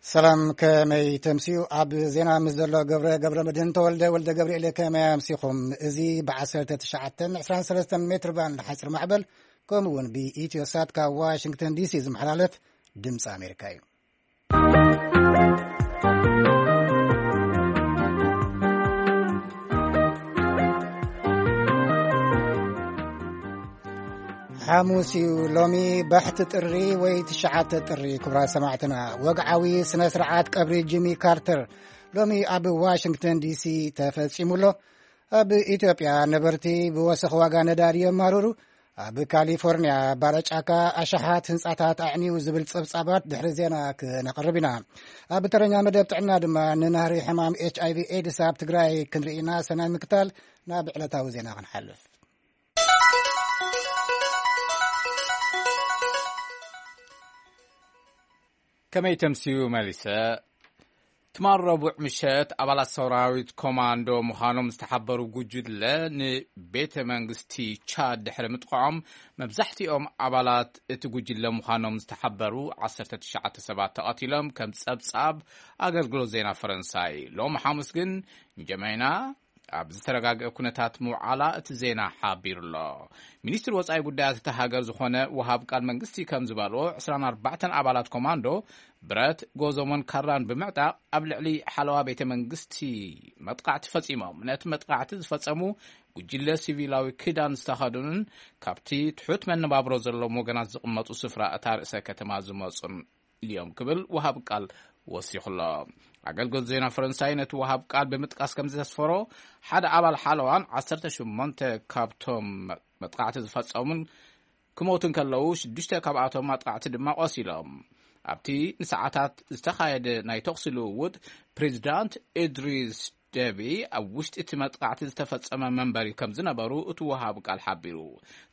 ሰላም፣ ከመይ ተምስዩ? ኣብ ዜና ምስ ዘሎ ገብረ፣ ገብረ መድህን ተወልደ፣ ወልደ ገብርኤል፣ ከመይ ኣምሲኹም? እዚ ብ1923 ሜትር ባንድ ሓፂር ማዕበል፣ ከምኡ እውን ብኢትዮ ሳት ካብ ዋሽንግተን ዲሲ ዝመሓላለፍ ድምፂ ኣሜሪካ እዩ። ሓሙስ እዩ ሎሚ፣ ባሕቲ ጥሪ ወይ 9 ጥሪ። ክቡራት ሰማዕትና፣ ወግዓዊ ስነ ስርዓት ቀብሪ ጂሚ ካርተር ሎሚ ኣብ ዋሽንግተን ዲሲ ተፈጺሙ ኣሎ። ኣብ ኢትዮጵያ ነበርቲ ብወሰኽ ዋጋ ነዳዲ የማርሩ። ኣብ ካሊፎርኒያ ባረጫካ ኣሽሓት ህንጻታት ኣዕንዩ ዝብል ጸብጻባት ድሕሪ ዜና ክነቕርብ ኢና። ኣብ ተረኛ መደብ ጥዕና ድማ ንናህሪ ሕማም ኤች ኣይ ቪ ኤድስ ኣብ ትግራይ ክንርኢ ኢና። ሰናይ ምክታል። ናብ ዕለታዊ ዜና ክንሓልፍ። ከመይ ተምስዩ መሊሰ? ትማል ረቡዕ ምሸት ኣባላት ሰራዊት ኮማንዶ ምዃኖም ዝተሓበሩ ጉጅለ ንቤተ መንግስቲ ቻድ ድሕሪ ምጥቃዖም፣ መብዛሕትኦም ኣባላት እቲ ጉጅለ ምዃኖም ዝተሓበሩ 19 ሰባት ተቐቲሎም፣ ከም ጸብጻብ ኣገልግሎት ዜና ፈረንሳይ። ሎም ሓሙስ ግን እንጀመይና ኣብ ዝተረጋግአ ኩነታት ምውዓላ እቲ ዜና ሓቢሩ ኣሎ። ሚኒስትሪ ወጻኢ ጉዳያት እታ ሃገር ዝኾነ ወሃብ ቃል መንግስቲ ከም ዝበልዎ፣ 24 ኣባላት ኮማንዶ ብረት፣ ጎዞሞን ካራን ብምዕጣቕ ኣብ ልዕሊ ሓለዋ ቤተ መንግስቲ መጥቃዕቲ ፈጺሞም። ነቲ መጥቃዕቲ ዝፈጸሙ ጉጅለ ሲቪላዊ ክዳን ዝተኸደኑን ካብቲ ትሑት መነባብሮ ዘለዎም ወገናት ዝቕመጡ ስፍራ እታ ርእሰ ከተማ ዝመጹን እዮም ክብል ወሃብ ቃል ወሲኹ ኣሎ። ኣገልግሎት ዜና ፈረንሳይ ነቲ ወሃብ ቃል ብምጥቃስ ከም ዘስፈሮ፣ ሓደ ኣባል ሓለዋን 18 ካብቶም መጥቃዕቲ ዝፈጸሙን ክሞቱ እንከለዉ፣ ሽዱሽተ ካብኣቶም ኣጥቃዕቲ ድማ ቆሲሎም። ኣብቲ ንሰዓታት ዝተኻየደ ናይ ተኹሲ ልውውጥ፣ ፕሬዚዳንት ኢድሪስ ደቢ ኣብ ውሽጢ እቲ መጥቃዕቲ ዝተፈጸመ መንበሪ ከም ዝነበሩ እቲ ወሃብ ቃል ሓቢሩ።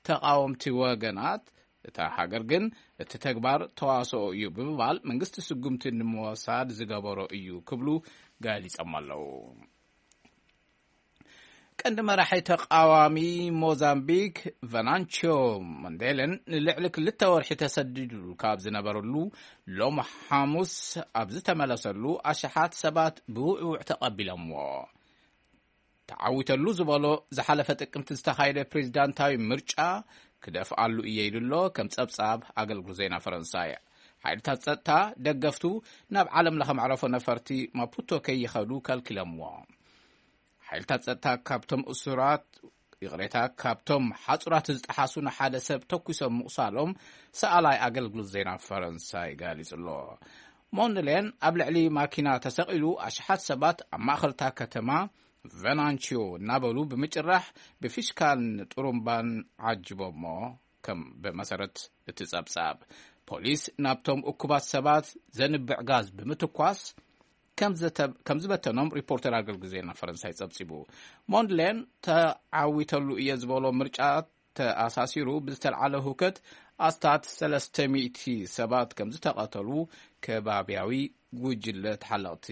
ተቓወምቲ ወገናት እታ ሃገር ግን እቲ ተግባር ተዋስኦ እዩ ብምባል፣ መንግስቲ ስጉምቲ ንምወሳድ ዝገበሮ እዩ ክብሉ ገሊጾም ኣለዉ። ቀንዲ መራሒ ተቃዋሚ ሞዛምቢክ ቨናንቾ ሞንዴለን ንልዕሊ ክልተ ወርሒ ተሰዲዱ ካብ ዝነበረሉ፣ ሎም ሓሙስ ኣብ ዝተመለሰሉ ኣሽሓት ሰባት ብውዕውዕ ተቐቢሎምዎ። ተዓዊተሉ ዝበሎ ዝሓለፈ ጥቅምቲ ዝተኻየደ ፕሬዚዳንታዊ ምርጫ ክደፍኣሉ እየ ኢሉ ኣሎ፣ ከም ጸብጻብ ኣገልግሎት ዜና ፈረንሳይ። ሓይልታት ጸጥታ ደገፍቱ ናብ ዓለም ለኸ መዕረፎ ነፈርቲ ማፑቶ ከይኸዱ ከልኪሎምዎ። ሓይልታት ጸጥታ ካብቶም እሱራት፣ ይቕሬታ፣ ካብቶም ሓጹራት ዝጠሓሱ ንሓደ ሰብ ተኩሶም ምቑሳሎም ሰኣላይ ኣገልግሎት ዜና ፈረንሳይ ገሊጹ ኣሎ። ሞንድሌን ኣብ ልዕሊ ማኪና ተሰቒሉ ኣሽሓት ሰባት ኣብ ማእኸልታ ከተማ ቨናንቺዮ እናበሉ ብምጭራሕ ብፊሽካን ጥሩምባን ዓጅቦሞ። ከም ብመሰረት እቲ ጸብጻብ፣ ፖሊስ ናብቶም እኩባት ሰባት ዘንብዕ ጋዝ ብምትኳስ ከም ዘተ-፣ ከም ዝበተኖም ሪፖርተር ኣገልግሎት ዜና ፈረንሳይ ጸብጺቡ። ሞንድሌን ተዓዊተሉ እየ ዝበሎ ምርጫ ተኣሳሲሩ ብዝተልዓለ ሁከት ኣስታት 300 ሰባት ከም ዝተቐተሉ ከባብያዊ ጉጅለ ተሓለቕቲ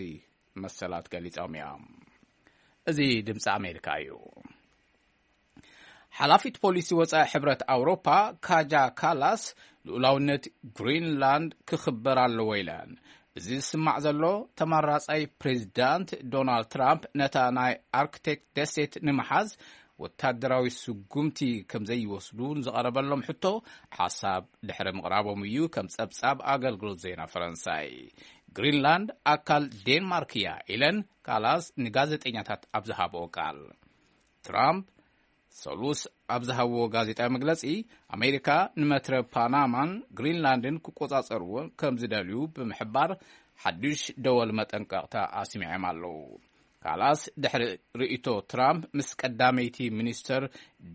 መሰላት ገሊጾም እዮም። እዚ ድምፂ ኣሜሪካ እዩ። ሓላፊት ፖሊሲ ወጻኢ ሕብረት ኣውሮፓ ካጃ ካላስ፣ ልኡላውነት ግሪንላንድ ክኽበር ኣለዎ ኢለን። እዚ ዝስማዕ ዘሎ፣ ተመራጻይ ፕሬዚዳንት ዶናልድ ትራምፕ ነታ ናይ ኣርክቲክ ደሴት ንምሓዝ ወታደራዊ ስጉምቲ ከም ዘይወስዱ ንዝቐረበሎም ሕቶ ሓሳብ ድሕሪ ምቕራቦም እዩ፣ ከም ጸብጻብ ኣገልግሎት ዜና ፈረንሳይ። ግሪንላንድ ኣካል ዴንማርክ እያ ኢለን ካላስ ንጋዜጠኛታት ኣብ ዝሃብኦ ቃል። ትራምፕ ሰሉስ ኣብ ዝሃብዎ ጋዜጣዊ መግለጺ፣ ኣሜሪካ ንመትረ ፓናማን ግሪንላንድን ክቆጻጸርዎ ከም ዝደልዩ ብምሕባር፣ ሓድሽ ደወል መጠንቀቕታ ኣስሚዖም ኣለዉ። ካላስ ድሕሪ ርእይቶ ትራምፕ ምስ ቀዳመይቲ ሚኒስተር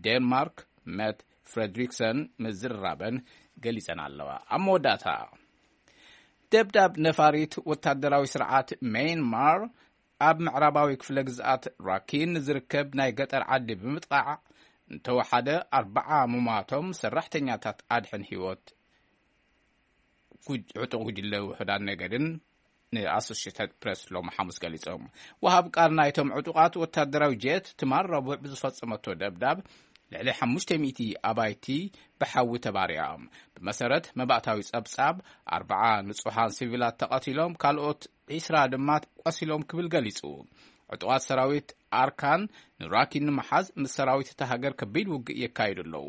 ዴንማርክ መት ፍሬድሪክሰን ምዝርራበን ገሊጸን ኣለዋ። ኣብ መወዳእታ፣ ደብዳብ ነፋሪት ወታደራዊ ስርዓት ሜይንማር ኣብ ምዕራባዊ ክፍለ ግዝኣት ራኪን ዝርከብ ናይ ገጠር ዓዲ ብምጥቃዕ እንተወሓደ ኣርባዓ ምሟቶም ሰራሕተኛታት ኣድሕን ህይወት ጉጅ-፣ ዕጡቕ ጉጅለ ውሑዳን ነገድን ንኣሶሽየትድ ፕሬስ ሎም ሓሙስ ገሊጾም። ወሃብ ቃል ናይቶም ዕጡቓት ወታደራዊ ጀት ትማል ረቡዕ ብዝፈጸመቶ ደብዳብ፣ ልዕሊ ሓሙሽተ ሚእቲ ኣባይቲ ብሓዊ ተባሪያ። ብመሰረት መባእታዊ ጸብጻብ፣ ኣርብዓ ንጹሓን ሲቪላት ተቐቲሎም፣ ካልኦት ዒስራ ድማ ቆሲሎም ክብል ገሊጹ። ዕጡቓት ሰራዊት ኣርካን ንራኪን ንምሓዝ ምስ ሰራዊት እታ ሃገር ከቢድ ውግእ የካይዱ ኣለዉ።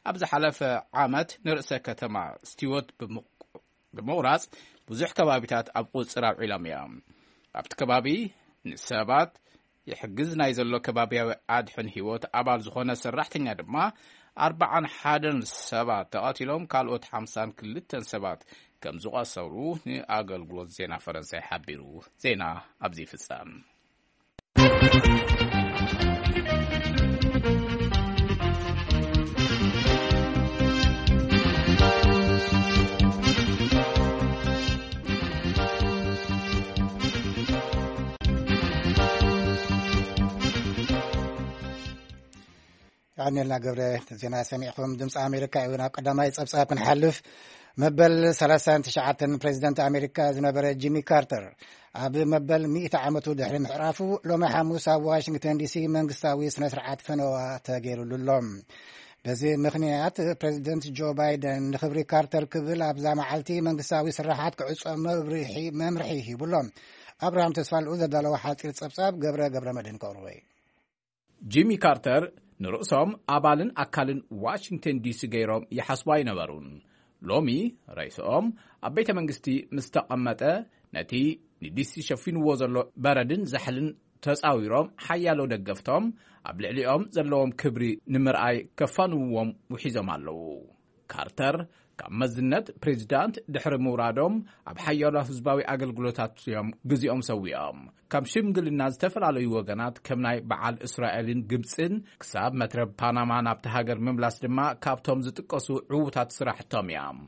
ኣብ ዝሓለፈ ዓመት ንርእሰ ከተማ ስቲወት ብምቕ-፣ ብምቑራጽ ብዙሕ ከባቢታት ኣብ ቁጽጽር ኣውዒሎም እዮም። ኣብቲ ከባቢ ንሰባት ይሕግዝ ናይ ዘሎ ከባቢያዊ ኣድሕን ህይወት ኣባል ዝኾነ ሰራሕተኛ ድማ ኣርብዓን ሓደን ሰባት ተቐቲሎም፣ ካልኦት ሓምሳን ክልተን ሰባት ከም ዝቖሰሉ ንኣገልግሎት ዜና ፈረንሳይ ሓቢሩ። ዜና ኣብዚ ይፍጸም። ኣሜልና ገብረ፣ ዜና ሰሚዕኹም። ድምፂ ኣሜሪካ እዩ። ናብ ቀዳማይ ፀብፃብ ክንሓልፍ፣ መበል ሰላሳን ትሽዓተን ፕሬዚደንት ኣሜሪካ ዝነበረ ጂሚ ካርተር፣ ኣብ መበል ሚእቲ ዓመቱ ድሕሪ ምሕራፉ፣ ሎሚ ሓሙስ ኣብ ዋሽንግተን ዲሲ መንግስታዊ ስነ ስርዓት ፈነዋ ተገይሩሉ ኣሎ። በዚ ምኽንያት፣ ፕሬዚደንት ጆ ባይደን ንኽብሪ ካርተር ክብል ኣብዛ መዓልቲ መንግስታዊ ስራሓት ክዕጾ መብርሒ፣ መምርሒ ሂቡ ኣሎ። ኣብርሃም ተስፋልኡ ዘዳለወ ሓጺር ጸብጻብ ገብረ ገብረ መድህን ከቕርቦ እዩ። ጂሚ ካርተር ንርእሶም ኣባልን ኣካልን ዋሽንግተን ዲሲ ገይሮም ይሓስቡ ኣይነበሩን። ሎሚ ርእሶም ኣብ ቤተ መንግስቲ ምስ ተቐመጠ፣ ነቲ ንዲሲ ሸፊንዎ ዘሎ በረድን ዛሕልን ተጻዊሮም፣ ሓያሎ ደገፍቶም ኣብ ልዕሊኦም ዘለዎም ክብሪ ንምርኣይ ከፋንውዎም ውሒዞም ኣለዉ። ካርተር ካብ መዝነት ፕሬዚዳንት ድሕሪ ምውራዶም፣ ኣብ ሓያሎ ህዝባዊ ኣገልግሎታት እዮም ግዜኦም ሰዊኦም። ካብ ሽምግልና ዝተፈላለዩ ወገናት፣ ከም ናይ በዓል እስራኤልን ግብጽን፣ ክሳብ መትረብ ፓናማ ናብቲ ሃገር ምምላስ ድማ ካብቶም ዝጥቀሱ ዕዉታት ስራሕቶም እዮም።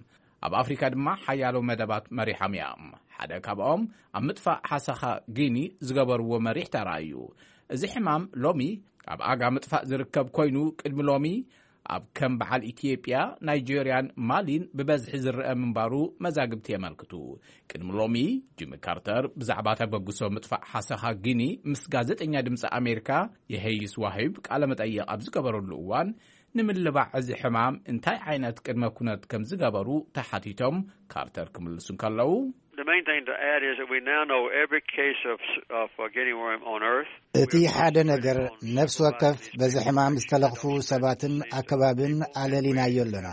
ኣብ ኣፍሪካ ድማ ሓያሎ መደባት መሪሖም እዮም። ሓደ ካብኦም ኣብ ምጥፋእ ሓሰኻ ጊኒ ዝገበርዎ መሪሕ ተራ እዩ። እዚ ሕማም ሎሚ ኣብ ኣጋ ምጥፋእ ዝርከብ ኮይኑ፣ ቅድሚ ሎሚ ኣብ ከም በዓል ኢትዮጵያ፣ ናይጄርያን ማሊን ብበዝሒ ዝረአ ምንባሩ መዛግብቲ የመልክቱ። ቅድሚ ሎሚ ጂሚ ካርተር ብዛዕባ ተበግሶ ምጥፋእ ሓሰኻ ጊኒ ምስ ጋዜጠኛ ድምፂ ኣሜሪካ የሄይስ ዋሂብ ቃለ መጠይቕ ኣብ ዝገበረሉ እዋን፣ ንምልባዕ እዚ ሕማም እንታይ ዓይነት ቅድመ ኩነት ከም ዝገበሩ ተሓቲቶም፣ ካርተር ክምልሱ እንከለዉ፣ The main thing to add is that we now know every case of, of uh, guinea worm on Earth. እቲ ሓደ ነገር፣ ነፍሲ ወከፍ በዚ ሕማም ዝተለኽፉ ሰባትን ኣከባብን ኣለሊናዮ ኣለና።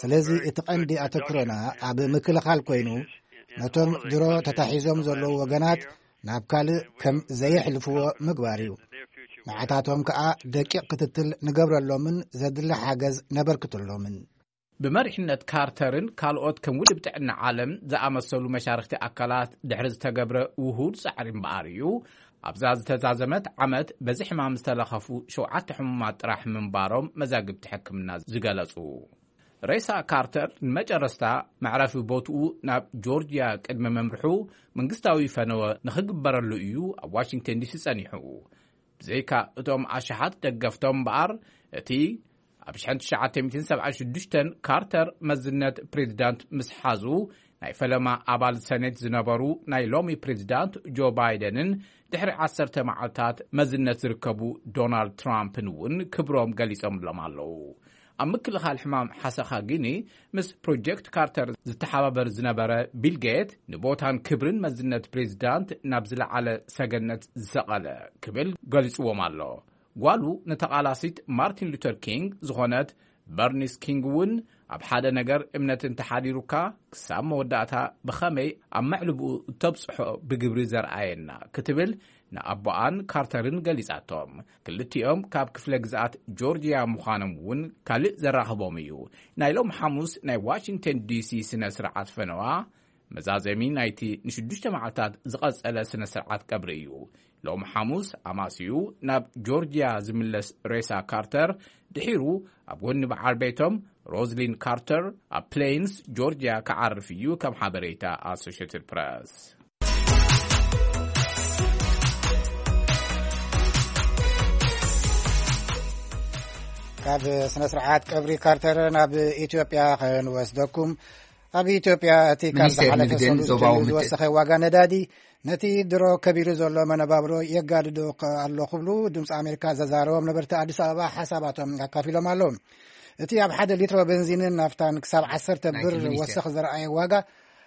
ስለዚ እቲ ቀንዲ ኣተኩሮና ኣብ ምክልኻል ኮይኑ፣ ነቶም ድሮ ተታሒዞም ዘለዉ ወገናት ናብ ካልእ ከም ዘየሕልፍዎ ምግባር እዩ። ንዓታቶም ከኣ ደቂቕ ክትትል ንገብረሎምን ዘድሊ ሓገዝ ነበርክተሎምን። ብመሪሕነት ካርተርን ካልኦት ከም ውድብ ጥዕና ዓለም ዝኣመሰሉ መሻርኽቲ ኣካላት ድሕሪ ዝተገብረ ውሁድ ጻዕሪ እምበኣር እዩ፣ ኣብዛ ዝተዛዘመት ዓመት በዚ ሕማም ዝተለኸፉ ሸውዓተ ሕሙማት ጥራሕ ምንባሮም መዛግብቲ ሕክምና ዝገለጹ። ሬሳ ካርተር ንመጨረስታ መዕረፊ ቦትኡ ናብ ጆርጅያ ቅድሚ ምምርሑ፣ መንግስታዊ ፈነወ ንኽግበረሉ እዩ ኣብ ዋሽንግተን ዲሲ ጸኒሑ። ብዘይካ እቶም ኣሽሓት ደገፍቶም እምበኣር፣ እቲ ኣብ ሽሕን ትሽዓተ ሚእትን ሰብዓን ሽዱሽተን ካርተር መዝነት ፕሬዚዳንት ምስ ሓዙ፣ ናይ ፈለማ ኣባል ሰኔት ዝነበሩ ናይ ሎሚ ፕሬዚዳንት ጆ ባይደንን ድሕሪ ዓሰርተ መዓልታት መዝነት ዝርከቡ ዶናልድ ትራምፕን እውን ክብሮም ገሊጾምሎም ኣለዉ። ኣብ ምክልኻል ሕማም ሓሰኻ ጊኒ ምስ ፕሮጀክት ካርተር ዝተሓባበር ዝነበረ ቢል ጌት፣ ንቦታን ክብርን መዝነት ፕሬዚዳንት ናብ ዝለዓለ ሰገነት ዝሰቐለ ክብል ገሊጽዎም ኣሎ። ጓሉ ንተቓላሲት ማርቲን ሉተር ኪንግ ዝኾነት በርኒስ ኪንግ እውን፣ ኣብ ሓደ ነገር እምነት እንተሓዲሩካ፣ ክሳብ መወዳእታ ብኸመይ ኣብ መዕልብኡ እተብጽሖ ብግብሪ ዘርኣየና ክትብል ንኣቦኣን ካርተርን ገሊጻቶም። ክልቲኦም ካብ ክፍለ ግዝኣት ጆርጅያ ምዃኖም እውን ካልእ ዘራኽቦም እዩ። ናይ ሎም ሓሙስ ናይ ዋሽንግተን ዲሲ ስነ ስርዓት ፈነዋ፣ መዛዘሚ ናይቲ ንሽዱሽተ መዓልታት ዝቐጸለ ስነ ስርዓት ቀብሪ እዩ። ሎም ሓሙስ ኣማስዩ ናብ ጆርጅያ ዝምለስ ሬሳ ካርተር፣ ድሒሩ ኣብ ጎኒ በዓል ቤቶም ሮዝሊን ካርተር ኣብ ፕሌንስ ጆርጅያ ክዓርፍ እዩ፣ ከም ሓበሬታ ኣሶሽትድ ፕረስ። ካብ ስነ ስርዓት ቀብሪ ካርተር ናብ ኢትዮጵያ ክንወስደኩም። ኣብ ኢትዮጵያ እቲ ካብ ሚኒስቴር ዝሓለፈ ንግድን ሰሉስ ዞባዊ ጀሚሩ ምት- ዝወሰኸ ዋጋ ነዳዲ ነቲ ድሮ ከቢሩ ዘሎ መነባብሮ የጋድዶ ከ-፣ ኣሎ ክብሉ ድምፂ ኣሜሪካ ዘዛረቦም ነበርቲ ኣዲስ ኣበባ ሓሳባቶም ኣካፊሎም ኣለዉ። እቲ ኣብ ሓደ ሊትሮ ቤንዚንን ናፍታን ክሳብ ዓሰርተ ናይቲ ብር ሚኒስቴር። ወሰኽ ዘረኣየ ዋጋ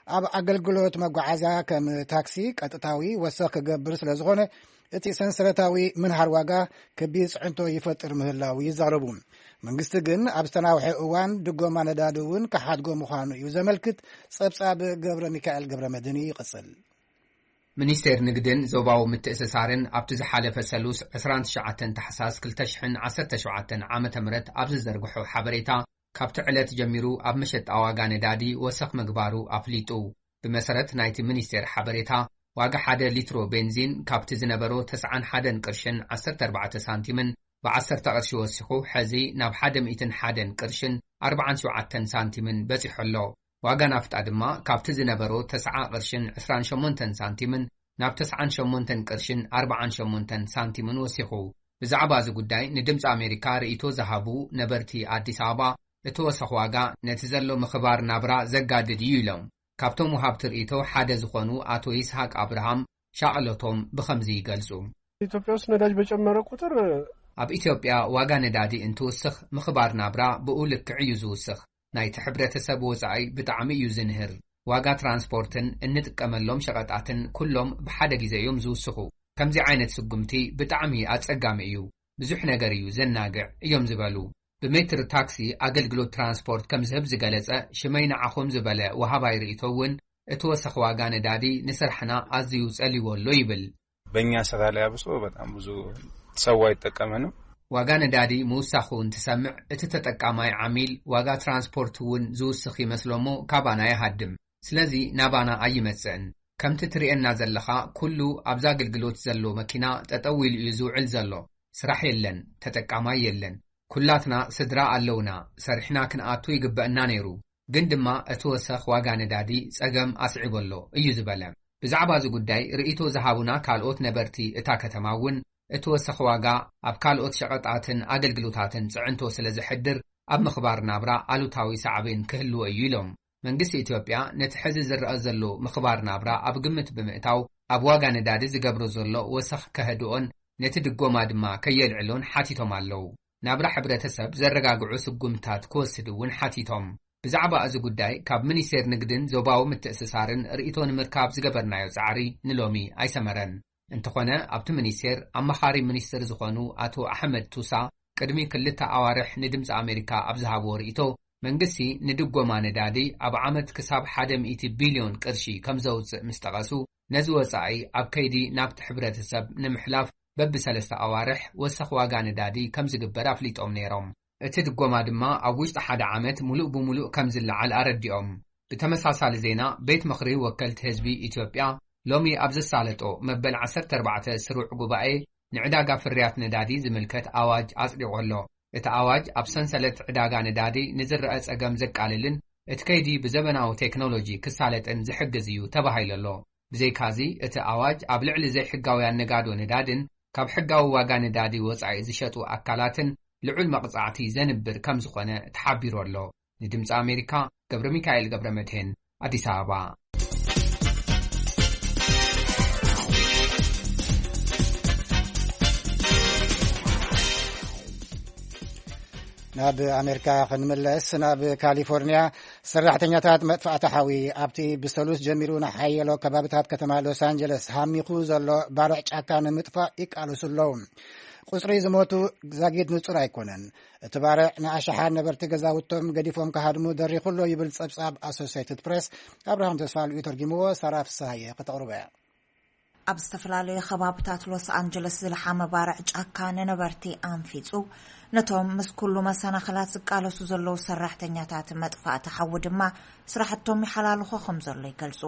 ኣብ ኣገልግሎት መጓዓዝያ ከም ታክሲ ቀጥታዊ ወሰኽ ክገብር ስለ ዝኾነ እቲ ሰንሰለታዊ ምንሃር ዋጋ ከቢድ ፅዕንቶ ይፈጥር ምህላው ይዛረቡ። መንግስቲ ግን ኣብ ዝተናውሐ እዋን ድጎማ ነዳዲ እውን ክሓድጎ ምዃኑ እዩ ዘመልክት። ጸብጻብ ገብረ ሚካኤል ገብረ መድህን ይቕጽል። ሚኒስቴር ንግድን ዞባዊ ምትእስሳርን ኣብቲ ዝሓለፈ ሰሉስ ዕስራን ትሽዓተን ታሕሳስ ክልተ ሽሕን ዓሰርተ ሸውዓተን ዓመተ ምህረት ኣብ ዝዘርግሖ ሓበሬታ፣ ካብቲ ዕለት ጀሚሩ ኣብ መሸጣ ዋጋ ነዳዲ ወሰኽ ምግባሩ ኣፍሊጡ። ብመሰረት ናይቲ ሚኒስቴር ሓበሬታ፣ ዋጋ ሓደ ሊትሮ ቤንዚን ካብቲ ዝነበሮ ተስዓን ሓደን ቅርሽን ዓሰርተ ኣርባዕተ ሳንቲምን ብዓሰርተ ቅርሺ ወሲኹ፣ ሕዚ ናብ ሓደ ሚእትን ሓደን ቅርሽን ኣርባዓን ሸውዓተን ሳንቲምን በጺሑ ኣሎ። ዋጋ ናፍጣ ድማ ካብቲ ዝነበሮ ተስዓ ቅርሽን ዕስራን ሸሞንተን ሳንቲምን ናብ ተስዓን ሸሞንተን ቅርሽን ኣርባዓን ሸሞንተን ሳንቲምን ወሲኹ። ብዛዕባ እዚ ጉዳይ ንድምፂ ኣሜሪካ ርእይቶ ዝሃቡ ነበርቲ ኣዲስ ኣበባ፣ እቲ ወሰኽ ዋጋ ነቲ ዘሎ ምኽባር ናብራ ዘጋድድ እዩ ኢሎም። ካብቶም ወሃብቲ ርእይቶ ሓደ ዝኾኑ ኣቶ ይስሃቅ ኣብርሃም ሻቕሎቶም ብኸምዚ ይገልጹ። ኢትዮጵያ ውስጥ ነዳጅ በጨመረ ቁጥር ኣብ ኢትዮጵያ ዋጋ ነዳዲ እንትውስኽ ምኽባር ናብራ ብኡ ልክዕ እዩ ዝውስኽ። ናይቲ ሕብረተሰብ ወጻኢ ብጣዕሚ እዩ ዝንህር። ዋጋ ትራንስፖርትን እንጥቀመሎም ሸቐጣትን ኩሎም ብሓደ ግዜ እዮም ዝውስኹ። ከምዚ ዓይነት ስጉምቲ ብጣዕሚ ኣጸጋሚ እዩ። ብዙሕ ነገር እዩ ዘናግዕ እዮም ዝበሉ። ብሜትር ታክሲ ኣገልግሎት ትራንስፖርት ከም ዝህብ ዝገለጸ ሽመይ ንዓኹም ዝበለ ወሃባይ ርእይቶ እውን እቲ ወሰኽ ዋጋ ነዳዲ ንስራሕና ኣዝዩ ጸልይዎ ኣሎ ይብል። በእኛ ስራ ላይ አብሶ በጣም ብዙ ሰው አይጠቀምንም። ዋጋ ነዳዲ ምውሳኹ እንትሰምዕ እቲ ተጠቃማይ ዓሚል ዋጋ ትራንስፖርት እውን ዝውስኽ ይመስሎ እሞ ካባና ይሃድም። ስለዚ ናባና ኣይመጽእን። ከምቲ ትርእየና ዘለኻ ኩሉ ኣብዚ ኣገልግሎት ዘሎ መኪና ጠጠው ኢሉ እዩ ዝውዕል ዘሎ። ስራሕ የለን፣ ተጠቃማይ የለን። ኩላትና ስድራ ኣለውና፣ ሰሪሕና ክንኣቱ ይግበእና ነይሩ። ግን ድማ እቲ ወሰኽ ዋጋ ነዳዲ ጸገም ኣስዒቡ ኣሎ እዩ ዝበለ። ብዛዕባ እዚ ጉዳይ ርእይቶ ዝሃቡና ካልኦት ነበርቲ እታ ከተማ እውን እቲ ወሰኽ ዋጋ ኣብ ካልኦት ሸቐጣትን ኣገልግሎታትን ጽዕንቶ ስለ ዘሕድር ኣብ ምኽባር ናብራ ኣሉታዊ ሳዕቤን ክህልዎ እዩ ኢሎም። መንግስቲ ኢትዮጵያ ነቲ ሕዚ ዝረኣ ዘሎ ምኽባር ናብራ ኣብ ግምት ብምእታው ኣብ ዋጋ ነዳዲ ዝገብሮ ዘሎ ወሰኽ ከህድኦን ነቲ ድጎማ ድማ ከየልዕሎን ሓቲቶም ኣለዉ። ናብራ ሕብረተሰብ ዘረጋግዑ ስጉምታት ክወስድ እውን ሓቲቶም። ብዛዕባ እዚ ጉዳይ ካብ ሚኒስቴር ንግድን ዞባዊ ምትእስሳርን ርእይቶ ንምርካብ ዝገበርናዮ ጻዕሪ ንሎሚ ኣይሰመረን። እንተኾነ ኣብቲ ሚኒስቴር ኣማኻሪ ሚኒስትር ዝኾኑ ኣቶ ኣሕመድ ቱሳ ቅድሚ ክልተ ኣዋርሕ ንድምፂ ኣሜሪካ ኣብ ዝሃብዎ ርእይቶ፣ መንግስቲ ንድጎማ ነዳዲ ኣብ ዓመት ክሳብ ሓደ ሚእቲ ቢልዮን ቅርሺ ከም ዘውፅእ ምስ ጠቐሱ፣ ነዚ ወፃኢ ኣብ ከይዲ ናብቲ ሕብረተሰብ ንምሕላፍ በብሰለስተ ኣዋርሕ ወሰኽ ዋጋ ነዳዲ ከም ዝግበር ኣፍሊጦም ነይሮም። እቲ ድጎማ ድማ ኣብ ውሽጢ ሓደ ዓመት ሙሉእ ብሙሉእ ከም ዝለዓል ኣረዲኦም። ብተመሳሳሊ ዜና፣ ቤት ምኽሪ ወከልቲ ህዝቢ ኢትዮጵያ ሎሚ ኣብ ዘሳለጦ መበል ዓሰርተ ኣርባዕተ ስሩዕ ጉባኤ ንዕዳጋ ፍርያት ነዳዲ ዝምልከት ኣዋጅ ኣጽዲቑ ኣሎ። እቲ ኣዋጅ ኣብ ሰንሰለት ዕዳጋ ነዳዲ ንዝረአ ጸገም ዘቃልልን እቲ ከይዲ ብዘበናዊ ቴክኖሎጂ ክሳለጥን ዝሕግዝ እዩ ተባሂሉ ኣሎ። ብዘይካዚ፣ እቲ ኣዋጅ ኣብ ልዕሊ ዘይሕጋውያን ነጋዶ ነዳድን ካብ ሕጋዊ ዋጋ ነዳዲ ወጻኢ ዝሸጡ ኣካላትን ልዑል መቕጻዕቲ ዘንብር ከም ዝኾነ ተሓቢሩ ኣሎ። ንድምፂ ኣሜሪካ፣ ገብረ ሚካኤል ገብረ መድህን፣ ኣዲስ ኣበባ። ናብ ኣሜሪካ ክንምለስ፣ ናብ ካሊፎርኒያ ሰራሕተኛታት መጥፋእቲ ሓዊ ኣብቲ ብሰሉስ ጀሚሩ ንሓየሎ ከባቢታት ከተማ ሎስ ኣንጀለስ ሃሚኹ ዘሎ ባርዕ ጫካ ንምጥፋእ ይቃለሱ ኣለዉ። ቁጽሪ ዝሞቱ ዛጊድ ንጹር ኣይኮነን። እቲ ባርዕ ንኣሽሓት ነበርቲ ገዛውቶም ገዲፎም ክሃድሙ ደሪኹ ኣሎ ይብል ጸብጻብ ኣሶሴይትድ ፕሬስ። ኣብርሃም ተስፋልኡ ተርጊምዎ፣ ሳራ ፍስሃየ ከተቕርቦ እያ። ኣብ ዝተፈላለዩ ከባብታት ሎስ ኣንጀለስ ዝለሓመ ባርዕ ጫካ ንነበርቲ ኣንፊጹ፣ ነቶም ምስ ኩሉ መሰናኽላት ዝቃለሱ ዘለዉ ሰራሕተኛታት መጥፋእቲ ሓዊ ድማ ስራሕቶም ይሓላልኾ ከም ዘሎ ይገልጹ።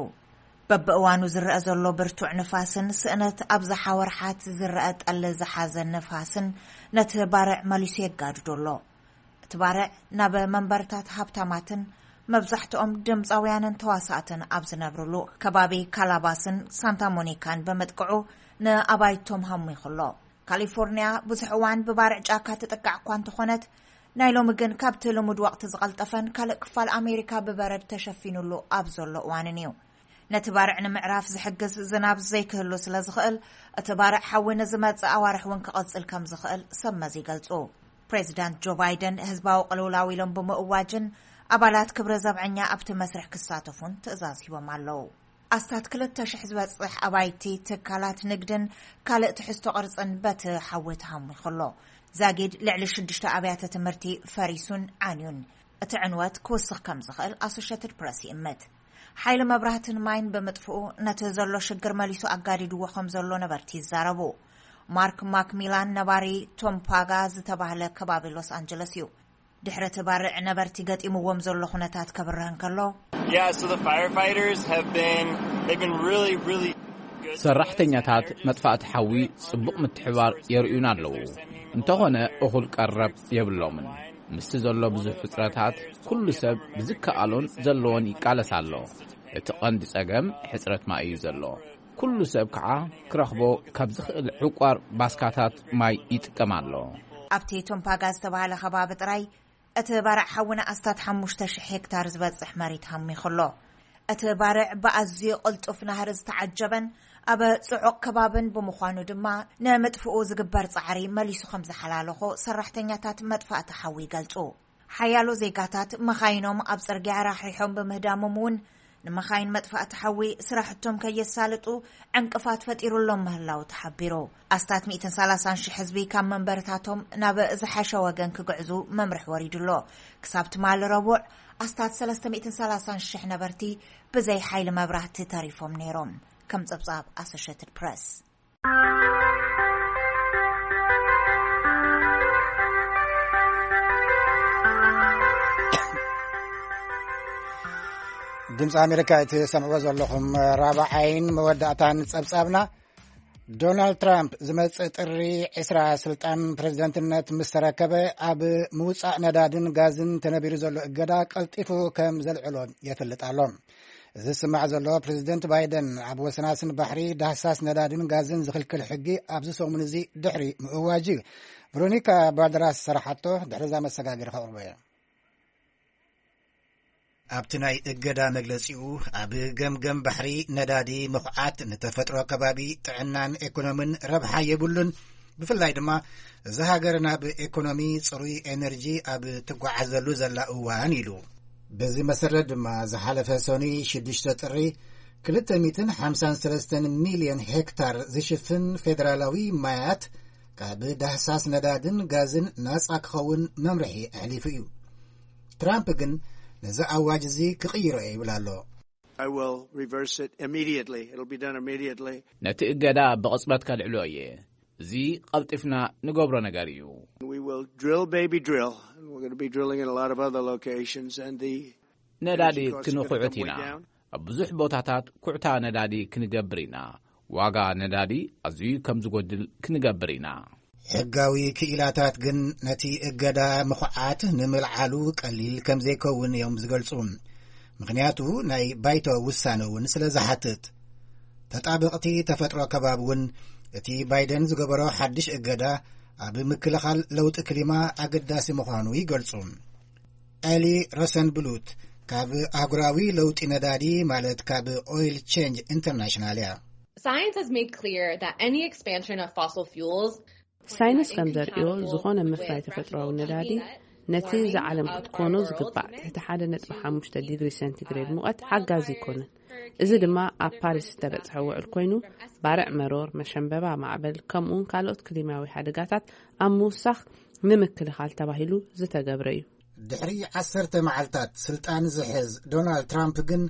በብእዋኑ ዝረአ ዘሎ ብርቱዕ ንፋስን ስእነት ኣብዝሓ ወርሓት ዝረአ ጠሊ ዝሓዘ ንፋስን ነቲ ባርዕ መሊሱ የጋድዶ ኣሎ። እቲ ባርዕ ናብ መንበርታት ሃብታማትን መብዛሕትኦም ድምፃውያንን ተዋሳእትን ኣብ ዝነብርሉ ከባቢ ካላባስን ሳንታ ሞኒካን ብምጥቅዑ ንኣባይቶም ሃሚኹ ኣሎ። ካሊፎርኒያ ብዙሕ እዋን ብባርዕ ጫካ ትጥቃዕ እኳ እንተኾነት፣ ናይ ሎሚ ግን ካብቲ ልሙድ ወቕቲ ዝቐልጠፈን ካልእ ክፋል ኣሜሪካ ብበረድ ተሸፊኑሉ ኣብ ዘሎ እዋንን እዩ። ነቲ ባርዕ ንምዕራፍ ዝሕግዝ ዝናብ ዘይክህሉ ስለ ዝኽእል፣ እቲ ባርዕ ሓዊ ንዝመጽእ ኣዋርሕ እውን ክቐጽል ከም ዝኽእል ሰብ መዚ ይገልጹ። ፕሬዚዳንት ጆ ባይደን ህዝባዊ ቅልውላው ኢሎም ብምእዋጅን ኣባላት ክብረ ዘብዐኛ ኣብቲ መስርሕ ክሳተፉን ትእዛዝ ሂቦም ኣለዉ። ኣስታት ክልተ ሽሕ ዝበጽሕ ኣባይቲ ትካላት ንግድን ካልእ ትሕዝቶ ቅርጽን በቲ ሓዊ ተሃሚኹ ኣሎ። ዛጊድ ልዕሊ ሽዱሽተ ኣብያተ ትምህርቲ ፈሪሱን ዓንዩን። እቲ ዕንወት ክውስኽ ከም ዝኽእል ኣሶሸትድ ፕረስ ይእምት። ሓይሊ መብራህትን ማይን ብምጥፍኡ ነቲ ዘሎ ሽግር መሊሱ ኣጋዲድዎ ከም ዘሎ ነበርቲ ይዛረቡ። ማርክ ማክሚላን ነባሪ ቶምፓጋ ዝተባህለ ከባቢ ሎስ ኣንጀለስ እዩ። ድሕሪ እቲ ባርዕ ነበርቲ ገጢምዎም ዘሎ ኩነታት ከብርህ እንከሎ፣ Yeah, so the firefighters have been, they've been really, really good. ሰራሕተኛታት መጥፋእቲ ሓዊ ጽቡቕ ምትሕባር የርእዩና ኣለዉ። እንተኾነ እኹል ቀረብ የብሎምን። ምስቲ ዘሎ ብዙሕ ሕጽረታት ኩሉ ሰብ ብዝከኣሎን ዘለዎን ይቃለስ ኣሎ። እቲ ቀንዲ ጸገም ሕጽረት ማይ እዩ ዘሎ። ኩሉ ሰብ ከዓ ክረኽቦ ካብ ዝኽእል ዕቋር ባስካታት ማይ ይጥቀም ኣሎ። ኣብቲ ቶምፓጋ ዝተባህለ ከባቢ ጥራይ እቲ ባርዕ ሓዊ ንኣስታት ሓሙሽተ ሽሕ ሄክታር ዝበጽሕ መሬት ሃሚኹ ኣሎ። እቲ ባርዕ ብኣዝዩ ቅልጡፍ ናህሪ ዝተዓጀበን ኣብ ጽዑቕ ከባብን ብምዃኑ ድማ ንምጥፍኡ ዝግበር ጻዕሪ መሊሱ ከም ዝሓላለኾ ሰራሕተኛታት መጥፋእቲ ሓዊ ይገልጹ። ሓያሎ ዜጋታት መኻይኖም ኣብ ጽርግያ ራሕሪሖም ብምህዳሞም እውን ንመኻይን መጥፋእቲ ሓዊ ስራሕቶም ከየሳልጡ ዕንቅፋት ፈጢሩሎም ምህላው ተሓቢሩ። ኣስታት ሚእትን ሰላሳን ሽሕ ህዝቢ ካብ መንበርታቶም ናብ ዝሓሸ ወገን ክግዕዙ መምርሒ ወሪዱ ኣሎ። ክሳብ ትማሊ ረቡዕ ኣስታት ሰለስተ ሚእትን ሰላሳን ሽሕ ነበርቲ ብዘይ ሓይሊ መብራህቲ ተሪፎም ነይሮም፣ ከም ጸብጻብ ኣሶሸትድ ፕረስ። ድምፂ ኣሜሪካ እቲ ሰምዕዎ ዘለኹም ራብዓይን መወዳእታን ጸብጻብና። ዶናልድ ትራምፕ ዝመጽእ ጥሪ ዕስራ ስልጣን ፕሬዝደንትነት ምስ ተረከበ፣ ኣብ ምውጻእ ነዳድን ጋዝን ተነቢሩ ዘሎ እገዳ ቀልጢፉ ከም ዘልዕሎ የፍልጥ ኣሎ። እዚ ዝስማዕ ዘሎ፣ ፕሬዝደንት ባይደን ኣብ ወሰናስን ባሕሪ ዳህሳስ ነዳድን ጋዝን ዝኽልክል ሕጊ ኣብዚ ሰሙን እዚ ድሕሪ ምእዋጅ እዩ። ቨሮኒካ ባልደራስ ዝሰራሓቶ፣ ድሕሪዛ መሰጋገሪ ከቕርቦ እየ። ኣብቲ ናይ እገዳ መግለጺኡ፣ ኣብ ገምገም ባሕሪ ነዳዲ ምኹዓት ንተፈጥሮ፣ ከባቢ፣ ጥዕናን ኤኮኖምን ረብሓ የብሉን፣ ብፍላይ ድማ እዛ ሃገር ናብ ኤኮኖሚ ጽሩይ ኤነርጂ ኣብ ትጓዓዘሉ ዘላ እዋን ኢሉ። በዚ መሰረት ድማ ዝሓለፈ ሰኑይ ሽዱሽተ ጥሪ ክልተ ሚእትን ሓምሳን ሰለስተን ሚልዮን ሄክታር ዝሽፍን ፌደራላዊ ማያት ካብ ዳህሳስ ነዳድን ጋዝን ናጻ ክኸውን መምርሒ ኣሕሊፉ እዩ። ትራምፕ ግን ነዚ ኣዋጅ እዚ ክቕይሮ እየ ይብል ኣሎ። I will reverse it immediately. It'll be done immediately. ነቲ እገዳ ብቕጽበት ከልዕሎ እየ። እዚ ቀልጢፍና ንገብሮ ነገር እዩ። We will drill, baby, drill. And we're going to be drilling in a lot of other locations. And the ነዳዲ energy costs are gonna ክንኹዕት come way ኢና። Down. ኣብ ብዙሕ ቦታታት ኩዕታ ነዳዲ ክንገብር ኢና። ዋጋ ነዳዲ ኣዝዩ ከም ዝጎድል ክንገብር ኢና። ሕጋዊ ክኢላታት ግን ነቲ እገዳ ምኹዓት ንምልዓሉ ቀሊል ከም ዘይከውን እዮም ዝገልጹ። ምኽንያቱ ናይ ባይቶ ውሳነ እውን ስለ ዝሓትት። ተጣበቕቲ ተፈጥሮ ከባቢ እውን እቲ ባይደን ዝገበሮ ሓድሽ እገዳ ኣብ ምክልኻል ለውጢ ክሊማ ኣገዳሲ ምዃኑ ይገልጹ። ኤሊ ሮሰንብሉት ካብ ኣህጉራዊ ለውጢ ነዳዲ፣ ማለት ካብ ኦይል ቼንጅ ኢንተርናሽናል እያ። Science has made clear that any expansion of fossil fuels ሳይንስ ከም ዘርእዮ፣ ዝኾነ ምፍራይ ተፈጥሮኣዊ ነዳዲ ነቲ ዝዓለም ክትኮኖ ዝግባእ ትሕቲ ሓደ ነጥቢ ሓሙሽተ ዲግሪ ሴንቲግሬድ ሙቐት ሓጋዚ ኣይኮነን። እዚ ድማ ኣብ ፓሪስ ዝተበጽሐ ውዕል ኮይኑ፣ ባርዕ መሮር፣ መሸንበባ ማዕበል፣ ከምኡውን ካልኦት ክሊማዊ ሓደጋታት ኣብ ምውሳኽ ንምክልኻል ተባሂሉ ዝተገብረ እዩ። ድሕሪ ዓሰርተ መዓልታት ስልጣን ዝሕዝ ዶናልድ ትራምፕ ግን፣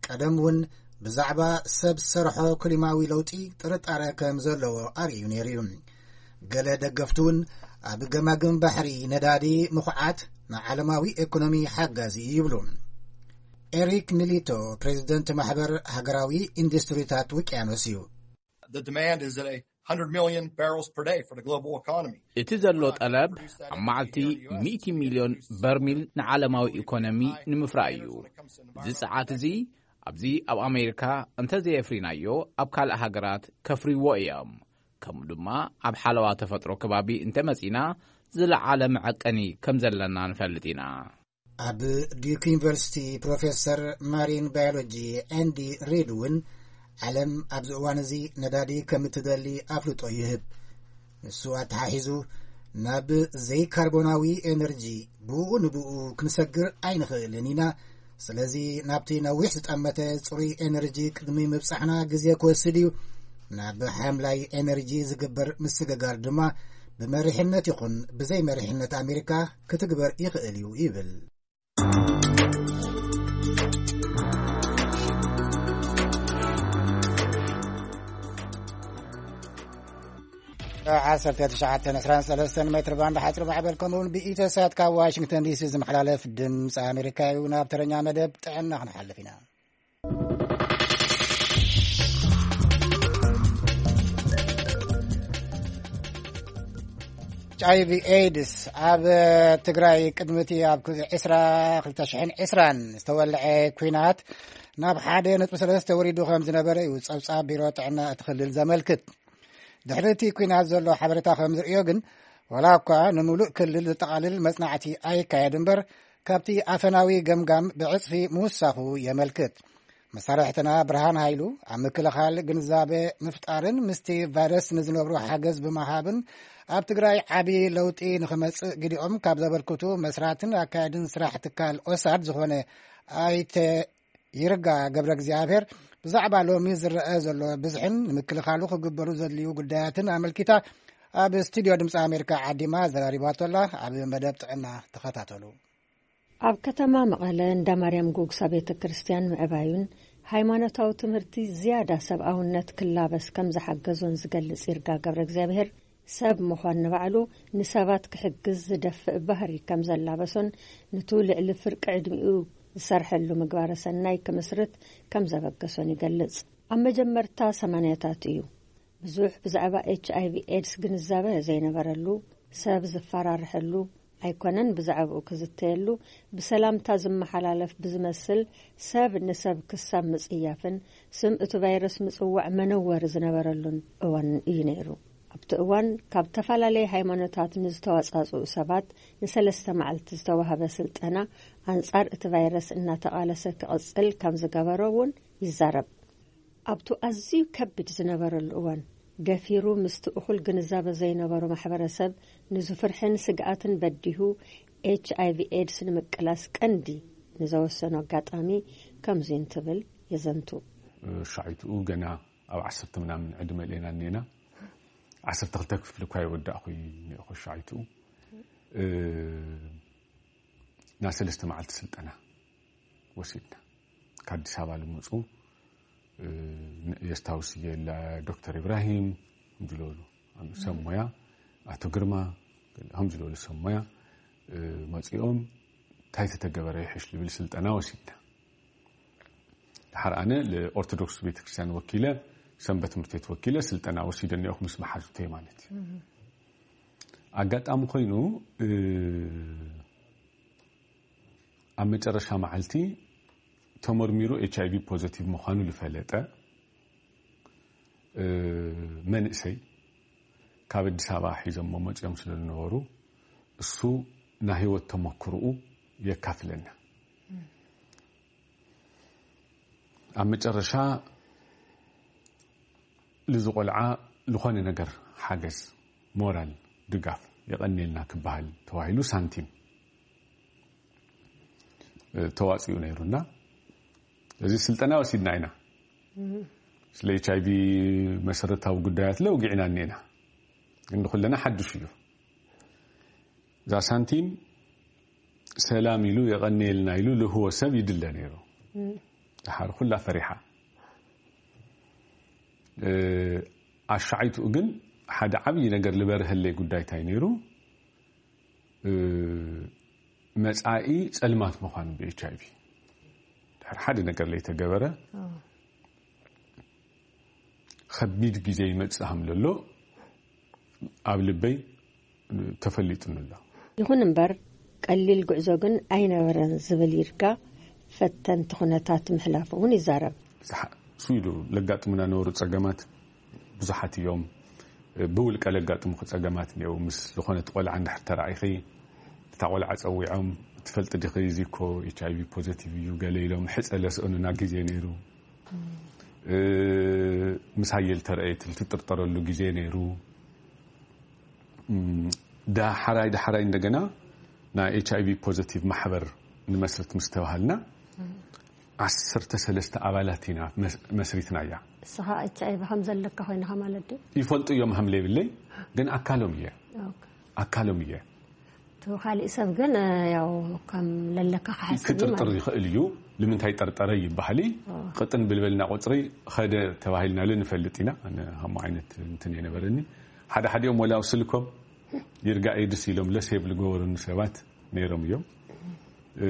ቀደም እውን ብዛዕባ ሰብ ሰርሖ ክሊማዊ ለውጢ ጥርጣረ ከም ዘለዎ ኣርእዩ ነይሩ እዩ። ገለ ደገፍቱ እውን ኣብ ገማግም ባሕሪ ነዳዲ ምኹዓት ንዓለማዊ ኤኮኖሚ ሓጋዚ እዩ ይብሉ። ኤሪክ ሚሊቶ ፕሬዚደንት ማሕበር ሃገራዊ ኢንዱስትሪታት ውቅያኖስ እዩ። The demand is at a hundred million barrels per day for the global economy. እቲ ዘሎ ጠለብ ኣብ መዓልቲ ሚእቲ ሚልዮን በርሚል ንዓለማዊ ኢኮኖሚ ንምፍራይ እዩ። እዚ ጸዓት እዚ ኣብዚ ኣብ ኣሜሪካ እንተዘየፍሪናዮ፣ ኣብ ካልእ ሃገራት ከፍርይዎ እዮም። ከምኡ ድማ ኣብ ሓለዋ ተፈጥሮ ከባቢ እንተመጺና፣ ዝለዓለ መዐቀኒ ከም ዘለና ንፈልጥ ኢና። ኣብ ዲዩክ ዩኒቨርሲቲ ፕሮፌሰር ማሪን ባዮሎጂ ኣንዲ ሪድ እውን፣ ዓለም ኣብዚ እዋን እዚ ነዳዲ ከም እትደሊ ኣፍልጦ ይህብ። ንሱ ኣተሓሒዙ፣ ናብ ዘይካርቦናዊ ኤነርጂ ብኡ ንብኡ ክንሰግር ኣይንኽእልን ኢና። ስለዚ ናብቲ ነዊሕ ዝጠመተ ጽሩይ ኤነርጂ ቅድሚ ምብጻሕና ግዜ ክወስድ እዩ። ናብ ሓምላይ ኤነርጂ ዝግበር ምስግጋር ድማ ብመሪሕነት ይኹን ብዘይ መሪሕነት ኣሜሪካ ክትግበር ይኽእል እዩ ይብል። ዓሰርተ ትሽዓተ ዕስራን ሰለስተን ሜትር ባንድ ሓፂር ማዕበል ከምኡውን ብኢትዮ ሳት ካብ ዋሽንግተን ዲሲ ዝመሓላለፍ ድምፂ ኣሜሪካ እዩ። ናብ ተረኛ መደብ ጥዕና ክንሓልፍ ኢና። ኤች ኣይ ቪ ኤድስ ኣብ ትግራይ ቅድሚ እቲ ኣብ ዕስራ ክልተ ሽሕን ዕስራን ዝተወልዐ ኲናት ናብ ሓደ ነጥቢ ሰለስተ ወሪዱ ከም ዝነበረ እዩ ጸብጻብ ቢሮ ጥዕና እቲ ክልል ዘመልክት። ድሕሪ እቲ ኲናት ዘሎ ሓበሬታ ከም ዝርእዮ ግን፣ ዋላ እኳ ንምሉእ ክልል ዘጠቓልል መጽናዕቲ ኣይካየድ እምበር፣ ካብቲ ኣፈናዊ ገምጋም ብዕጽፊ ምውሳኹ የመልክት። መሳርሕትና ብርሃን ሃይሉ ኣብ ምክልኻል ግንዛበ ምፍጣርን ምስቲ ቫይረስ ንዝነብሩ ሓገዝ ብምሃብን ኣብ ትግራይ ዓቢ ለውጢ ንኽመጽእ ግዲኦም ካብ ዘበርክቱ መስራትን ኣካየድን ስራሕ ትካል ኦሳድ ዝኾነ ኣይተ ይርጋ ገብረ እግዚኣብሔር ብዛዕባ ሎሚ ዝረአ ዘሎ ብዝሕን ንምክልኻሉ ክግበሩ ዘድልዩ ጉዳያትን ኣመልኪታ ኣብ ስቱድዮ ድምፂ ኣሜሪካ ዓዲማ ዘራሪባቶላ። ኣብ መደብ ጥዕና ተኸታተሉ። ኣብ ከተማ መቐለ እንዳ ማርያም ጉግሳ ቤተ ክርስቲያን ምዕባዩን ሃይማኖታዊ ትምህርቲ ዝያዳ ሰብኣውነት ክላበስ ከም ዝሓገዞን ዝገልጽ ይርጋ ገብረ እግዚኣብሔር፣ ሰብ ምዃን ንባዕሉ ንሰባት ክሕግዝ ዝደፍእ ባህሪ ከም ዘላበሶን ንቱ ልዕሊ ፍርቂ ዕድሚኡ ዝሰርሐሉ ምግባረ ሰናይ ክምስርት ከም ዘበገሶን ይገልጽ። ኣብ መጀመርታ ሰማንያታት እዩ ብዙሕ ብዛዕባ ኤች ኣይ ቪ ኤድስ ግንዛበ ዘይነበረሉ፣ ሰብ ዝፈራርሐሉ ኣይኮነን፣ ብዛዕባኡ ክዝተየሉ ብሰላምታ ዝመሓላለፍ ብዝመስል፣ ሰብ ንሰብ ክሳብ ምጽያፍን ስም እቲ ቫይረስ ምጽዋዕ መነወሪ ዝነበረሉን እዋን እዩ ነይሩ። ኣብቲ እዋን ካብ ተፈላለየ ሃይማኖታት ንዝተዋጻጽኡ ሰባት ንሰለስተ መዓልቲ ዝተዋህበ ስልጠና ኣንጻር እቲ ቫይረስ እናተቓለሰ ክቕጽል ከም ዝገበሮ እውን ይዛረብ። ኣብቱ ኣዝዩ ከቢድ ዝነበረሉ እዋን፣ ገፊሩ ምስቲ እኹል ግንዛበ ዘይነበሮ ማሕበረሰብ ንዝፍርሕን ስግኣትን በዲሁ ኤች ኣይ ቪ ኤድስ ንምቅላስ ቀንዲ ንዘወሰኖ ኣጋጣሚ ከምዚ እንትብል የዘንቱ። ሻዒትኡ ገና ኣብ ዓሰርተ ምናምን ዕድመ ሌና እኔና። ዓሰርተ ክልተ ክፍሊ እኳ ይወዳእኹ እኒኦኹ ሻዒትኡ። እ፣ ና ሰለስተ መዓልቲ ስልጠና ወሲድና። ካብ ኣዲስ ኣበባ ልመፁ፣ እ፣ የስታውስ እየ፣ ዶክተር ኢብራሂም፣ ከምዚ ዝበሉ ሰብ ሞያ፣ ኣቶ ግርማ፣ ከምዚ ዝበሉ ሰብ ሞያ፣ እ፣ መፂኦም እንታይ ተተገበረ ይሕሽ ዝብል ስልጠና ወሲድና። ድሓር ኣነ ንኦርቶዶክስ ቤተክርስትያን ወኪለ፣ ሰንበት ትምህርቲ ቤት ወኪለ ስልጠና ወሲደ እኒኦኹ ምስ መሓዙተይ ማለት እዩ። ኣጋጣሚ ኮይኑ፣ እ፣ ኣብ መጨረሻ መዓልቲ ተመርሚሩ ኤች ኣይ ቪ ፖዘቲቭ ምዃኑ ዝፈለጠ፣ እ፣ መንእሰይ ካብ ኣዲስ ኣበባ ሒዞሞ መፂኦም ስለ ዝነበሩ፣ እሱ ናይ ህይወት ተመክሮኡ የካፍለና። ኣብ መጨረሻ፣ ልዚ ቆልዓ ዝኾነ ነገር ሓገዝ፣ ሞራል ድጋፍ የቐንየልና ክበሃል ተባሂሉ ሳንቲም፣ እ፣ ተዋፂኡ ነይሩና። እዚ ስልጠና ወሲድና ኢና። ስለ ኤች ኣይ ቪ መሰረታዊ ጉዳያት ለውጊዕና እኒኤና። ግን ንኹለና ሓድሽ እዩ። እዛ ሳንቲም ሰላም ኢሉ የቐንየልና ኢሉ ልህቦ ሰብ ይድለ ነይሩ። ድሓር ኩላ ፈሪሓ። እ፣ ኣሻዓይትኡ ግን ሓደ ዓብዪ ነገር ዝበርሀለይ ጉዳይ እንታይ ነይሩ? እ፣ መጻኢ ጸልማት ምዃኑ ብ ኤች ኣይ ቪ። ድሕሪ ሓደ ነገር ለይተገበረ፣ ከቢድ ግዜ ይመጽእ ከም ዘሎ ኣብ ልበይ ተፈሊጡኒ ኣሎ። ይኹን እምበር፣ ቀሊል ጉዕዞ ግን ኣይነበረን ዝብል ይርጋ፣ ፈተንቲ ኩነታት ምሕላፉ እውን ይዛረብ። ብዙሓ-፣ እሱ ኢሉ ለጋጥሙና ነበሩ ጸገማት ብዙሓት እዮም። ብውልቀ ለጋጥሙኺ ጸገማት እኒአው። ምስ ዝኾነት ቆልዓ እንድሕር ተራኢኺ፣ እታ ቆልዓ ጸዊዖም፣ "ትፈልጢ ዲኺ፣ እዚ እኮ ኤች ኣይ ቪ ፖዘቲቭ እዩ" ገለ ኢሎም፣ ሕጸ ለስእኑና ግዜ ነይሩ። እ፣ ምሳየ ልተረእየት ልትጥርጠረሉ ግዜ ነይሩ። እም፣ ዳሕራይ ዳሕራይ እንደገና ናይ ኤች ኣይ ቪ ፖዘቲቭ ማሕበር ንመስርት ምስ ተባሃልና፣ ዓሰርተ ሰለስተ ኣባላት ኢና መስ-፣ መስሪትና እያ። ንስኻ ኤች ኣይ ቪ ከም ዘለካ ኮይንኻ ማለት ድዩ? ይፈልጡ እዮም ሃም ለይብለይ፣ ግን ኣካሎም እየ። ኦኬ። ኣካሎም እየ። እቲ ካሊእ ሰብ ግን፣ እ፣ ያው ከም ለለካ ክሓስብ እዩ ክጥርጥር ማለት እዩ። ይኽእል እዩ። ንምንታይ ጠርጠረ ይበሃል እዩ። ኦ። ቅጥን ብልበልና ቁፅሪ ኸደ ተባሂልና ለ ንፈልጥ ኢና። ኣነ ከምኡ ዓይነት እንትን የነበረኒ። ሓደ ሓዲኦም ወላ ኣብ ስልኮም ይርጋ ኤድስ ኢሎም ለሴብ ልገበሩኒ ሰባት ነይሮም እዮም። እ፣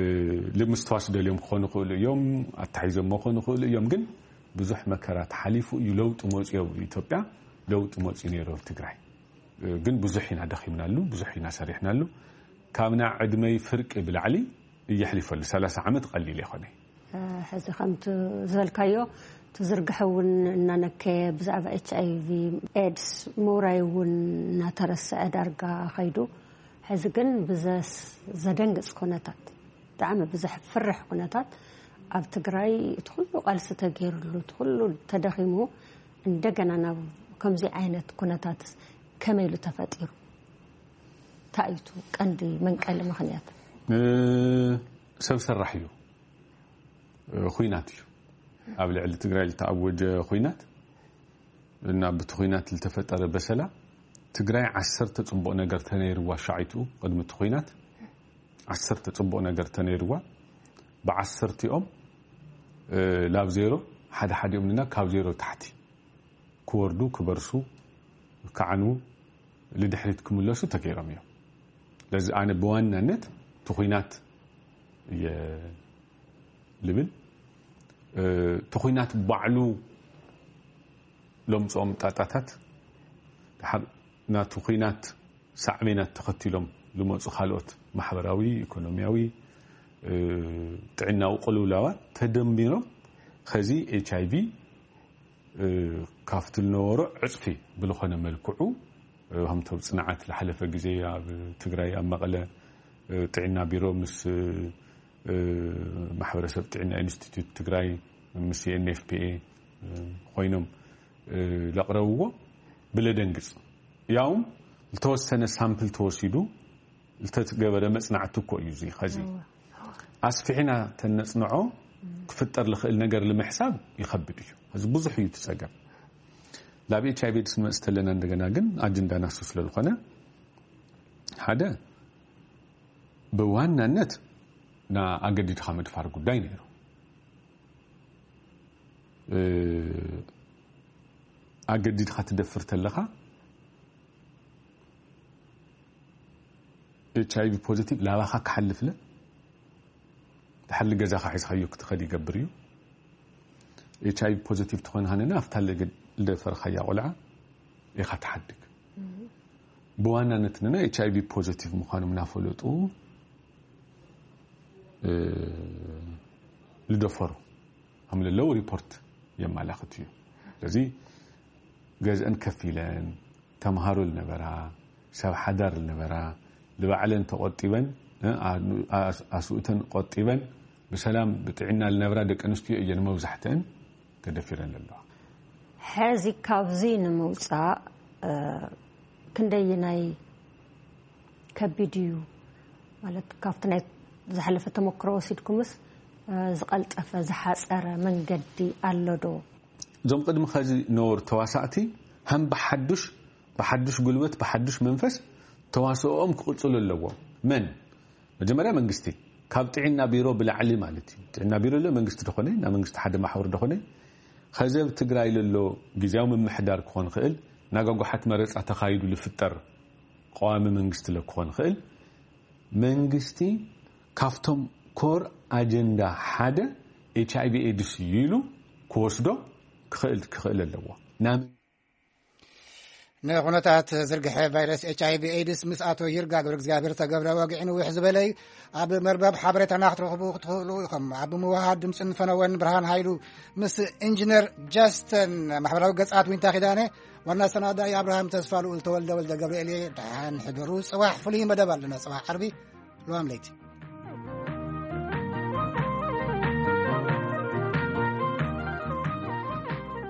ልምስትዋስ ደልዮም ክኾኑ ይኽእሉ እዮም፣ ኣታሒዞሞ ክኾኑ ይኽእሉ እዮም። ግን ብዙሕ መከራ ተሓሊፉ እዩ ለውጢ መፅዮ። ኣብ ኢትዮጵያ ለውጢ መፅዩ ነይሩ ኣብ ትግራይ። እ፣ ግን ብዙሕ ኢና ደኺምናሉ፣ ብዙሕ ኢና ሰሪሕናሉ። ካብና ዕድመይ ፍርቂ ብላዕሊ እየሕሊፈሉ። ሰላሳ ዓመት ቀሊል የኾነ። እ፣ ሕዚ ከምቲ ዝበልካዮ፣ እቲ ዝርግሐ እውን እናነከየ፣ ብዛዕባ ኤች ኣይ ቪ ኤድስ ምውራይ እውን እናተረስዐ ዳርጋ ኸይዱ፣ ሕዚ ግን ብዘስ-፣ ዘደንግጽ ኩነታት፣ ብጣዕሚ ብዘሕፍርሕ ኩነታት ኣብ ትግራይ እቲ ኩሉ ቃልሲ ተገይሩሉ፣ እቲ ኩሉ ተደኺሙ፣ እንደገና ናብ ከምዚ ዓይነት ኩነታት ከመይ ኢሉ ተፈጢሩ? እንታይ እዩ እቲ ቀንዲ መንቀሊ ምኽንያት? እ፣ ሰብ ሰራሕ እዩ። እ፣ ኹናት እዩ። ኣብ ልዕሊ ትግራይ ዝተኣወጀ ኹናት እና ብቲ ኹናት ዝተፈጠረ በሰላ፣ ትግራይ ዓሰርተ ጽቡቕ ነገር ተነይርዋ፣ ሻዒቱ ቅድሚ እቲ ኹናት ዓሰርተ ጽቡቕ ነገር ተነይርዋ፣ ብዓሰርቲኦም፣ እ፣ ላብ ዜሮ፣ ሓደ ሓዲኦም ንና ካብ ዜሮ ታሕቲ ክወርዱ፣ ክበርሱ፣ ክዓንዉ፣ ልድሕሪት ክምለሱ ተገይሮም እዮም። ስለዚ ኣነ ብዋናነት እቲ ኹናት እየ ልብል። እ፣ እቲ ኹናት ባዕሉ ለምፅኦም ጣጣታት፣ ድሓር ናቲ ኹናት ሳዕቤናት ተኸቲሎም ዝመፁ ካልኦት ማሕበራዊ፣ ኢኮኖሚያዊ፣ እ፣ ጥዕናዊ ቅልውላዋት ተደሚሮም ኸዚ ኤች ኣይ ቪ፣ እ፣ ካብቲ ዝነበሮ ዕፅፊ ብዝኾነ መልክዑ፣ እ፣ ከምቶም ፅንዓት ዝሓለፈ ግዜ ኣብ ትግራይ ኣብ መቐለ፣ እ፣ ጥዕና ቢሮ ምስ፣ እ፣ ማሕበረሰብ ጥዕና ኢንስቲትዩት ትግራይ ምስ ኤን ኤፍ ፒ ኤ፣ እ፣ ኮይኖም፣ እ፣ ዘቕረብዎ ብለደንግፅ ያውም ዝተወሰነ ሳምፕል ተወሲዱ ዝተገበረ መፅናዕቲ እኮ እዩ። እዚ ኸዚ እወ። ኣስፊሕና ተነፅንዖ ክፍጠር ዝኽእል ነገር ንምሕሳብ ይኸብድ እዩ። እዚ ብዙሕ እዩ እቲ ፀገም። ላብ ኤች ኣይ ቪ ኤድስ ንመፅእ ተለና እንደገና ግን ኣጀንዳ ናሱ ስለ ዝኾነ ሓደ ብዋናነት ና ኣገዲድካ ምድፋር ጉዳይ ነይሩ። እ፣ ኣገዲድካ ትደፍር ተለኻ ኤች ኣይ ቪ ፖዚቲቭ ላባኻ ክሓልፍለ ድሓር ገዛኻ ሒዝካዮ ክትኸድ ይገብር እዩ። ኤች ኣይ ቪ ፖዚቲቭ ትኾንካ ንና ኣብታ ልገ-፣ ልደፈርካያ ቆልዓ ኢኻ ትሓድግ። ብዋናነት ንና ኤች ኣይ ቪ ፖዚቲቭ ምዃኖም እናፈለጡ፣ እ፣ ልደፈሩ ከም ለለዉ ሪፖርት የመላኽት እዩ። ስለዚ ገዝአን ከፊለን፣ ተምሃሮ ልነበራ፣ ሰብ ሓዳር ልነበራ፣ ልባዕለን ተቖጢበን፣ እ፣ ኣ-፣ ኣስ-፣ ኣስኡተን ቆጢበን፣ ብሰላም ብጥዕና ልነብራ ደቂ ኣንስትዮ እየን መብዛሕትአን ተደፊረን ዘለዋ። ሕዚ ካብዚ ንምውፃእ፣ እ፣ ክንደይናይ ከቢድ እዩ? ማለት ካብቲ ናይ ዝሓለፈ ተመክሮ ወሲድኩምስ፣ እ፣ ዝቐልጠፈ፣ ዝሓፀረ መንገዲ ኣሎ ዶ? እዞም ቅድሚ ኸዚ ነበሩ ተዋሳእቲ ሃም ብሓዱሽ፣ ብሓዱሽ ጉልበት፣ ብሓዱሽ መንፈስ ተዋስኦኦም ክቕፅሉ ኣለዎም። መን? መጀመርያ መንግስቲ፣ ካብ ጥዕና ቢሮ ብላዕሊ ማለት እዩ። ጥዕና ቢሮ ለ መንግስቲ ደኾነ፣ ና መንግስቲ ሓደ ማሕበር ደኾነ፣ ኸዚ ኣብ ትግራይ ለሎ ግዜያዊ ምምሕዳር ክኾን ይኽእል፣ ናጋጓሓት መረፃ ተኻይዱ ልፍጠር ቀዋሚ መንግስቲ ለ ክኾን ይኽእል። መንግስቲ ካብቶም ኮር ኣጀንዳ ሓደ ኤች ኣይ ቪ ኤድስ እዩ ኢሉ ክወስዶ ክኽእል፣ ክኽእል ኣለዎ። ናብ ንኹነታት ዝርግሐ ቫይረስ ኤች ኣይ ቪ ኤድስ ምስ ኣቶ ይርጋ ገብረ እግዚኣብሔር ተገብረ ወግዒ ንውሕ ዝበለ እዩ። ኣብ መርበብ ሓበሬታና ክትረኽቡ ክትኽእሉ ኢኹም። ኣብ ምውሃድ ድምፅን ፈነወን ብርሃን ሃይሉ ምስ ኢንጂነር ጃስተን፣ ማሕበራዊ ገፃት ዊንታ ኪዳነ፣ ዋና ኣሰናዳኢ ኣብርሃም ተስፋ ልኡል ተወልደ ወልደ ገብርኤል እየ። ደሓን ሕደሩ። ጽባሕ ፍሉይ መደብ ኣለና። ጽባሕ ዓርቢ፣ ለዋም ለይቲ።